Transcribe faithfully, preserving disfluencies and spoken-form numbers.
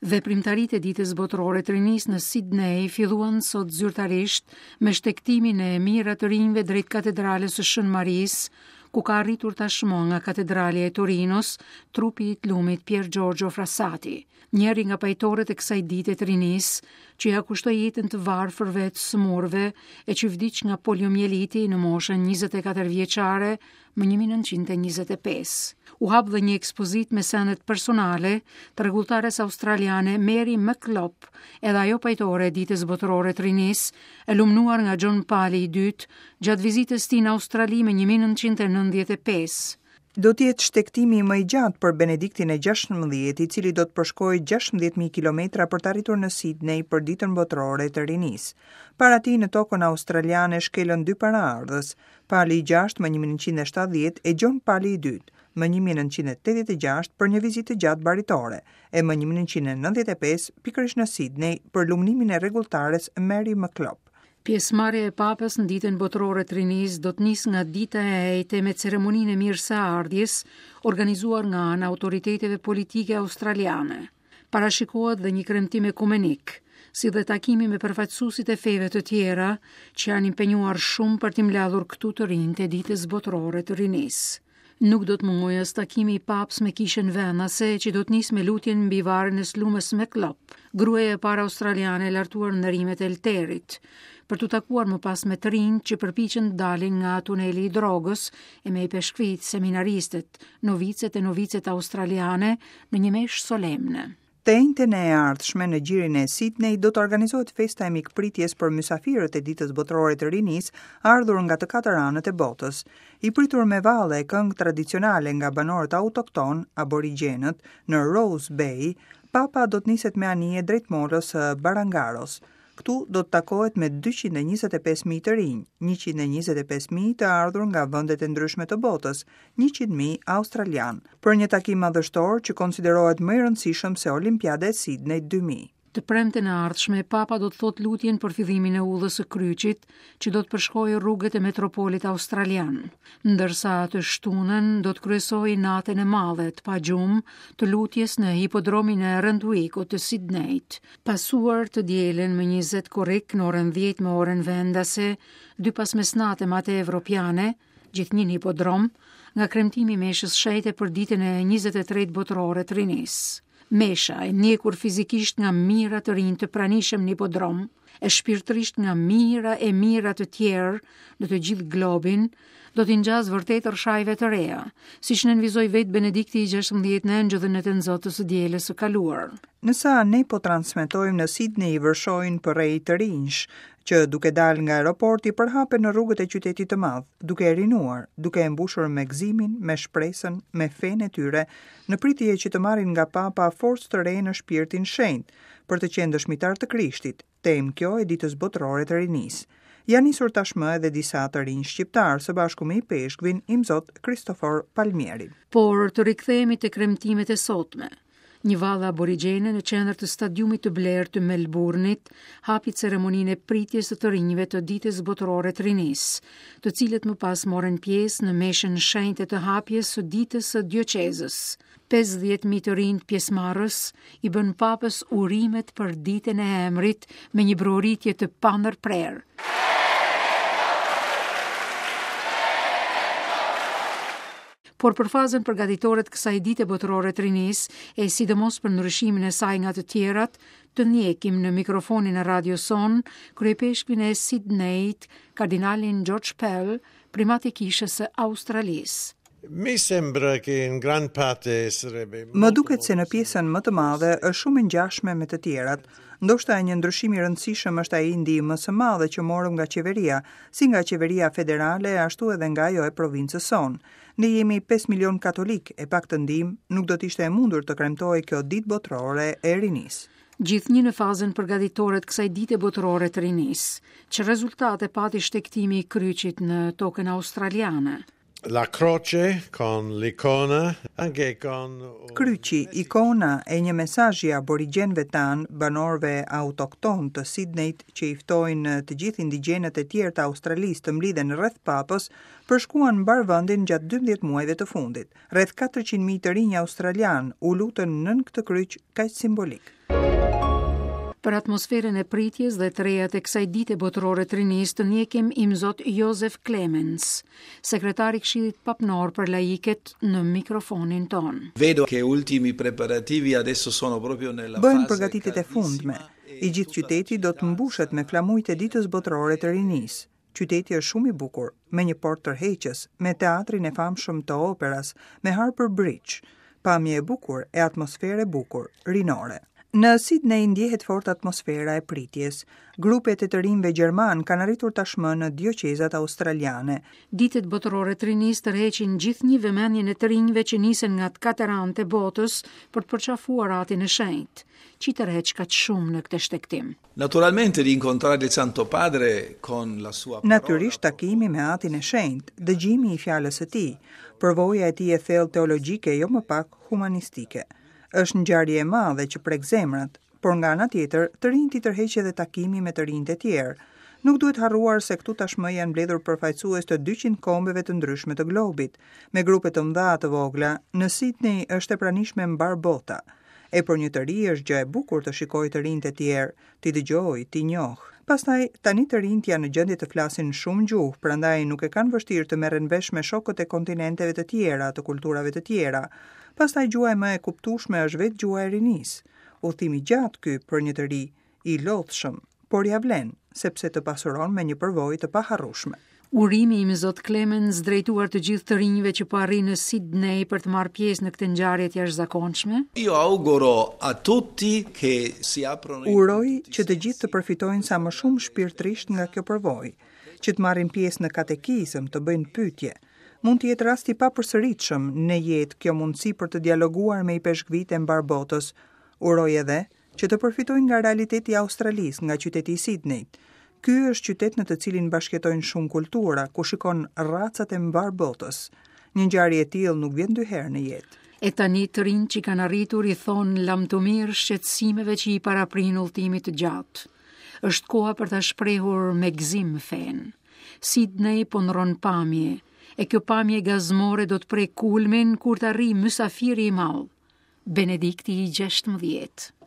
Veprimtaritë e Ditës Botërore të Rinisë në Sydney filluan sot zyrtarisht me shtegtimin e mijëra të rinjve drejt katedrales së Shën Marisë, ku ka arritur tashmë nga katedralja e Torinos trupi i të lumit Pier Giorgio Frassati, njëri nga pajtorët e kësaj dite të rinisë, që ja kushtoi jetën të varfërve, të sëmurëve e që vdiq nga poliomieliti në moshën njëzet e katër vjeçare më një mijë e nëntëqind e njëzet e pesë. U hap dhe një ekspozitë me sendet personale të rregulltares australiane Mary McKillop, edhe ajo pajtore e Ditës Botërore të Rinisë, e lumnuar nga John Pali i dytë gjatë vizitës tij në Australi më një mijë e nëntëqind e nëntëdhjetë e pesë. Do të jetë shtegtimi më i gjatë për Benediktin e gjashtëmbëdhjetë, i cili do të përshkojë gjashtëmbëdhjetë mijë kilometra për të arritur në Sydney për Ditën Botërore të Rinisë. Para tij në tokën australiane shkelën dy paraardhës, Pali i gjashtë më një mijë e nëntëqind e shtatëdhjetë e Gjon Pali i dytë më një mijë e nëntëqind e tetëdhjetë e gjashtë për një vizitë të gjatë baritore, e më një mijë e nëntëqind e nëntëdhjetë e pesë pikërisht në Sydney për lumnimin e rregulltares Mary McKillop. Pjesëmarrja e Papës në Ditën Botërore të Rinisë do të nisë nga dita e enjte me ceremoninë e mirëseardhjes, organizuar nga ana autoriteteve politike australiane. Parashikohet dhe një kremtim ekumenik, si dhe takimi me përfaqësuesit e feve të tjera që janë impenjuar shumë për t'i mbledhur këtu të rinjtë e Ditës Botërore të Rinisë. Nuk do të mungojë as takimi i Papës me kishën vendase, që do të nisë me lutjen mbi varrin e Slumës McKillop, gruaja e parë australiane e lartuar në nderimet e Elterit, për t'u takuar më pas me të rinj që përpiqen të dalin nga tuneli i drogës e me i peshkvit, seminaristët, novicet e novicet australiane në një meshë solemne. Të enjten e ardhshme në gjirin e Sydney do të organizohet festa e mikpritjes për mysafirët e Ditës Botërore të Rinisë, ardhur nga të katër anët e botës. I pritur me valle e këngë tradicionale nga banorët autokton, aborigjenët, në Rose Bay, Papa do të niset me anije drejt molës së Barangaros. Këtu do të takohet me dyqind e njëzet e pesë mijë të rinj, njëqind e njëzet e pesë mijë të ardhur nga vendet e ndryshme të botës, njëqind mijë australian, për një takim madhështor që konsiderohet më i rëndësishëm se Olimpiada e Sydney dy mijë. Të premten e ardhshme, Papa do të thotë lutjen për fillimin e udhës së kryqit, që do të përshkojë rrugët e metropolit australian, ndërsa të shtunën do të kryesojë natën e madhe të pagjumë të lutjes në hipodromin e Randwickut të Sydneyt, pasuar të dielën më njëzet korrik në orën dhjetë me orën vendase, dy pas mesnate me atë evropiane, gjithnjë në hipodrom, nga kremtimi i meshës shenjte për ditën e njëzet e tretë botërore të rinisë. Mesha e ndjekur fizikisht nga mijëra të rinj të pranishëm në hipodrom, e shpirtërisht nga mijëra e mijëra të tjerë në të gjithë globin, do t'i ngjasë vërtet rrshajve të reja, siç nënvizoi vetë Benedikti i gjashtëmbëdhjetë në Engjëllin e Tënzotës së dielës së kaluar. Nësa ne po transmetojmë në Sydney vërshojnë për rej të rinjsh, që duke dalë nga aeroporti përhapen në rrugët e qytetit të madh, duke e rinuar, duke e mbushur me gëzimin, me shpresën, me fenë e tyre, në pritje që të marrin nga Papa forcë të re në shpirtin shenjt, për të qenë dëshmitar të Krishtit, temë kjo e Ditës Botërore të Rinisë. Janë nisur tashmë edhe disa të rinj shqiptar së bashku me ipeshkvin Imzot Kristofor Palmieri. Por të rikthehemi te kremtimet e sotme. Një vallë aborigjene në qendër të stadiumit të blerë të Melbourne-it hapi ceremoninë e pritjes së të rinjve të Ditës Botërore të Rinisë, të cilët më pas morën pjesë në meshën shenjte të hapjes së ditës së dioqezës. Pesëdhjetë mijë të rinj pjesëmarrës i bën papës urimet për ditën e emrit me një broritje të pandërprerë. Por për fazën përgatitore të kësaj dite botërore të rinisë, e sidomos për ndryshimin e saj nga të tjerat, të ndjekim në mikrofonin e radios sonë kryepeshkvin e Sydneyt, kardinalin George Pell, primat i kishës së Australisë. Mi sembra che in gran parte sarebbe Më duket se në pjesën më të madhe është shumë e ngjashme me të tjerat. Ndoshta një ndryshim i rëndësishëm është ai i ndihmës së madhe që morëm nga qeveria, si nga qeveria federale ashtu edhe nga ajo e provincës sonë. Ne jemi pesë milion katolik e pak të ndihmë nuk do të ishte e mundur të kremtohej kjo ditë botërore e rinisë. Gjithnjë në fazën përgatitore të kësaj dite botërore të rinisë, që rezultate pati shtegtimi i kryqit në tokën australiane. La croce con l'icona, anche con un Kryqi, ikona e një mesazhi aborigjenëve tan, banorëve autokton të Sydneyt që i ftojnë të gjithë indigjenët e tjerë të Australisë të mblidhen rreth papës, përshkuan mbar vendin gjatë dymbëdhjetë muajve të fundit. Rreth katërqind mijë të rinj australian u lutën nën këtë kryq kaq simbolik. Për atmosferën e pritjes dhe të rejat e kësaj dite botërore të rinisë të ndjekim Imzot Josef Clemens, sekretari i Këshillit Papnor për Laiket, në mikrofonin tonë. Vedo che ultimi preparativi adesso sono proprio nella Bëhen fase përgatitjet e fundme. caldissima. I gjithë qyteti do të mbushet me flamujt e ditës botërore të rinisë. Qyteti është shumë i bukur, me një port tërheqës, me teatrin e famshëm të operas, me Harbour Bridge, pamje e bukur e atmosferë e bukur, rinore. Në Sydney ndjehet fort atmosfera e pritjes. Grupet e të rinjve gjerman kanë arritur tashmë në dioqezat australiane. Ditët botërore të rinisë tërheqin gjithnjë vëmendjen e të rinjve që nisen nga të katër anët e botës për të përqafuar atin e shenjtë, që i tërheq kaq shumë në këtë shtegtim. Naturalmente di incontrare il Santo Padre con la sua parola. Natyrisht takimi me atin e shenjtë, dëgjimi i fjalës së tij, përvoja e tij e thellë teologjike jo më pak humanistike. Është ngjarje e madhe që prek zemrat, por nga ana tjetër, të rinjtë i tërheq edhe takimi me të rinjtë e tjerë. Nuk duhet harruar se këtu tashmë janë mbledhur përfaqësues të dyqind kombeve të ndryshme të globit, me grupe të mëdha të vogla. Në Sydney është e pranishme mbar bota. E për një të ri është gjë e bukur të shikojë të rinjtë e tjerë, t'i dëgjojë, t'i njohë. Pastaj, tani të rinjtë janë në gjendje të flasin shumë gjuhë, prandaj nuk e kanë vështirë të merren vesh me shokët e kontinenteve të tjera, të kulturave të tjera. Pastaj gjuha e më e kuptueshme është vetë gjuha e rinisë. Udhëtimi gjatë ky për një të ri, i lodhshëm, por ja vlen, sepse të pasuron me një përvojë të paharrueshme. Urimi i Imzot Clemens drejtuar të gjithë të rinjve që po arrijnë në Sydney për të marrë pjesë në këtë ngjarje të jashtëzakonshme. Io auguro a tutti che si aprono i Uroj që të gjithë të përfitojnë sa më shumë shpirtërisht nga kjo përvojë, që të marrin pjesë në katekizëm, të bëjnë pyetje. Mund të jetë rast i papërsëritshëm në jetë kjo mundësi për të dialoguar me ipeshkvit e mbar botës. Uroj edhe që të përfitojnë nga realiteti i Australisë, nga qyteti i Sydneyt. Ky është qytet në të cilin bashkëjetojnë shumë kultura, ku shikon racat e mbar botës. Një ngjarje e tillë nuk vjen dy herë në jetë. E tani të rinjtë që kanë arritur i thonë lamtumirë shqetësimeve që i paraprin udhëtimit të gjatë. Është koha për ta shprehur me gëzim fen. Sydney po ndron pamje, e kjo pamje gazmore do të prek kulmin kur të arrijë mysafiri i madh, Benedikti i gjashtëmbëdhjetë.